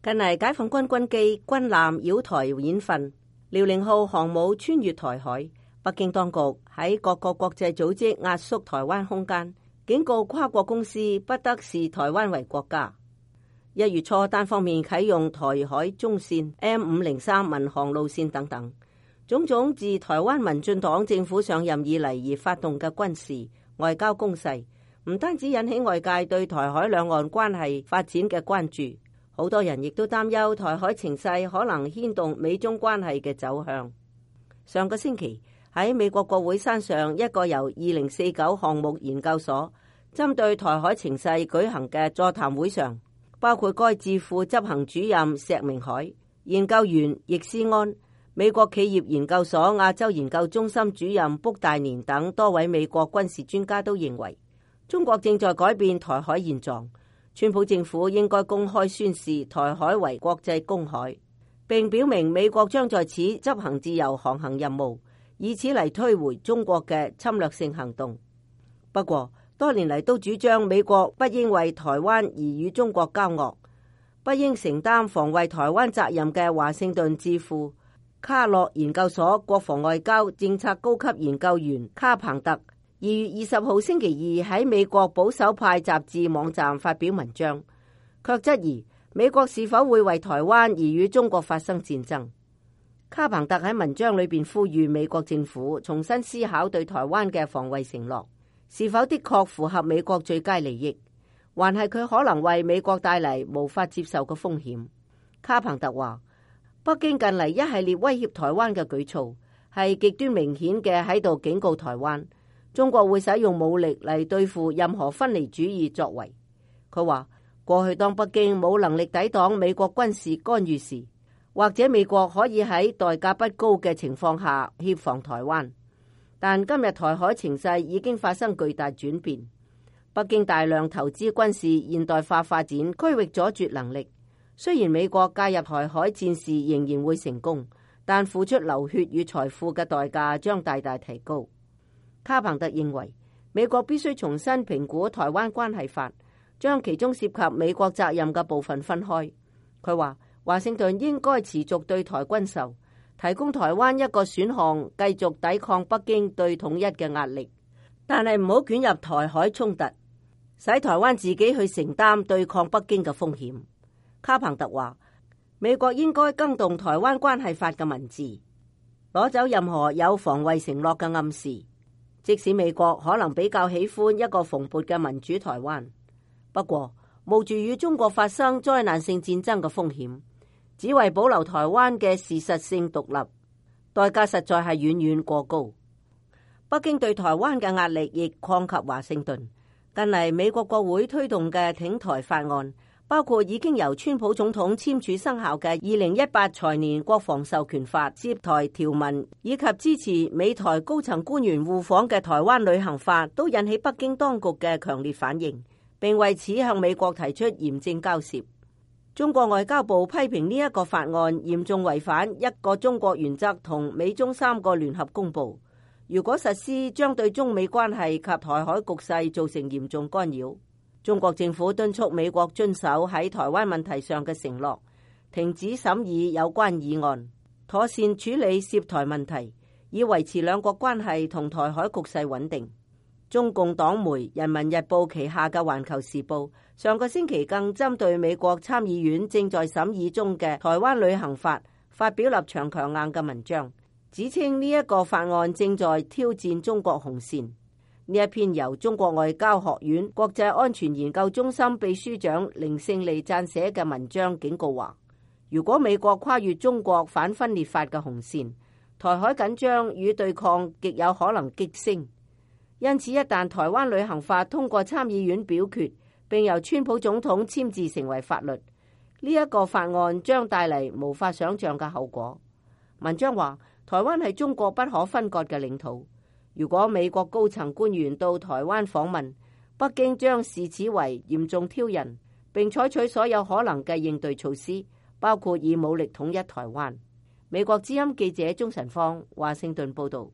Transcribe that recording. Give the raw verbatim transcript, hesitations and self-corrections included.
近嚟解放軍軍機、軍艦繞台演訓，遼寧號航母穿越台海，北京當局喺各個國際組織壓縮台灣空間，警告跨國公司不得視台灣為國家。一月初單方面啟用台海中線 M 五零三民航路線等等，種種自台灣民進黨政府上任以嚟而發動嘅軍事外交攻勢，唔單止引起外界對台海兩岸關係發展嘅關注，好多人亦都擔憂台海情勢可能牽動美中關係嘅走向。上個星期喺美國國會山上一個由二零四九項目研究所針對台海情勢舉行嘅座談會上，包括該智庫執行主任石明海、研究員易思安、美國企業研究所亞洲研究中心主任卜大年等多位美國軍事專家都認為，中國正在改變台海現狀。川普政府應該公開宣示台海為國際公海，並表明美國將在此執行自由航行任務，以此嚟推回中國嘅侵略性行動。不過，多年嚟都主張美國不應為台灣而與中國交惡，不應承擔防衛台灣責任嘅華盛頓智庫卡洛研究所國防外交政策高級研究員卡彭特二月二十號星期二喺美國保守派雜誌網站發表文章，卻質疑美國是否會為台灣而與中國發生戰爭。卡彭特喺文章裏邊呼籲美國政府重新思考對台灣嘅防衛承諾，是否的確符合美國最佳利益，還係佢可能為美國帶嚟無法接受嘅風險。卡彭特話，北京近嚟一系列威脅台灣嘅舉措係極端明顯嘅喺度警告台灣，中國會使用武力嚟對付任何分離主義作為。佢話，過去當北京冇能力抵擋美國軍事干預時，或者美國可以喺代價不高嘅情況下協防台灣，但今日台海情勢已經發生巨大轉變，北京大量投資軍事現代化發展區域阻絕能力。雖然美國介入台海戰事仍然會成功，但付出流血與財富嘅代價將大大提高。卡彭特認為，美國必須重新評估台灣關係法，將其中涉及美國責任嘅部分分開。佢話，華盛頓應該持續對台軍售，提供台灣一個選項，繼續抵抗北京對統一嘅壓力，但係唔好捲入台海衝突，使台灣自己去承擔對抗北京嘅風險。卡彭特話，美國應該更動台灣關係法嘅文字，攞走任何有防衛承諾嘅暗示。即使美國可能比較喜歡一個蓬勃嘅民主台灣，不過冒住與中國發生災難性戰爭嘅風險，只為保留台灣嘅事實性獨立，代價實在係遠遠過高。北京對台灣嘅壓力亦擴及華盛頓。近嚟美國國會推動嘅挺台法案，包括已經由川普總統簽署生效嘅二零一八財年國防授權法涉台條文，以及支持美台高層官員互訪嘅台灣旅行法，都引起北京當局嘅強烈反應，並為此向美國提出嚴正交涉。中國外交部批評呢一個法案嚴重違反一個中國原則同美中三個聯合公報，如果實施，將對中美關係及台海局勢造成嚴重干擾。中國政府敦促美國遵守喺台灣問題上嘅承諾，停止審議有關議案，妥善處理涉台問題，以維持兩國關係同台海局勢穩定。中共黨媒《人民日報》旗下嘅《環球時報》上個星期更針對美國參議院正在審議中嘅台灣旅行法發表立場強硬嘅文章，指稱呢一個法案正在挑戰中國紅線。呢一篇由中國外交學院國際安全研究中心秘書長凌勝利撰寫嘅文章警告話，如果美國跨越中國反分裂法嘅紅線，台海緊張與對抗極有可能激升。因此，一旦台灣旅行法通過參議院表決，並由川普總統簽字成為法律，呢一個法案將帶嚟無法想象嘅後果。文章話，台灣係中國不可分割嘅領土。如果美國高層官員到台灣訪問，北京將視此為嚴重挑釁，並採取所有可能嘅應對措施，包括以武力統一台灣。美國之音記者鍾晨芳，華盛頓報道。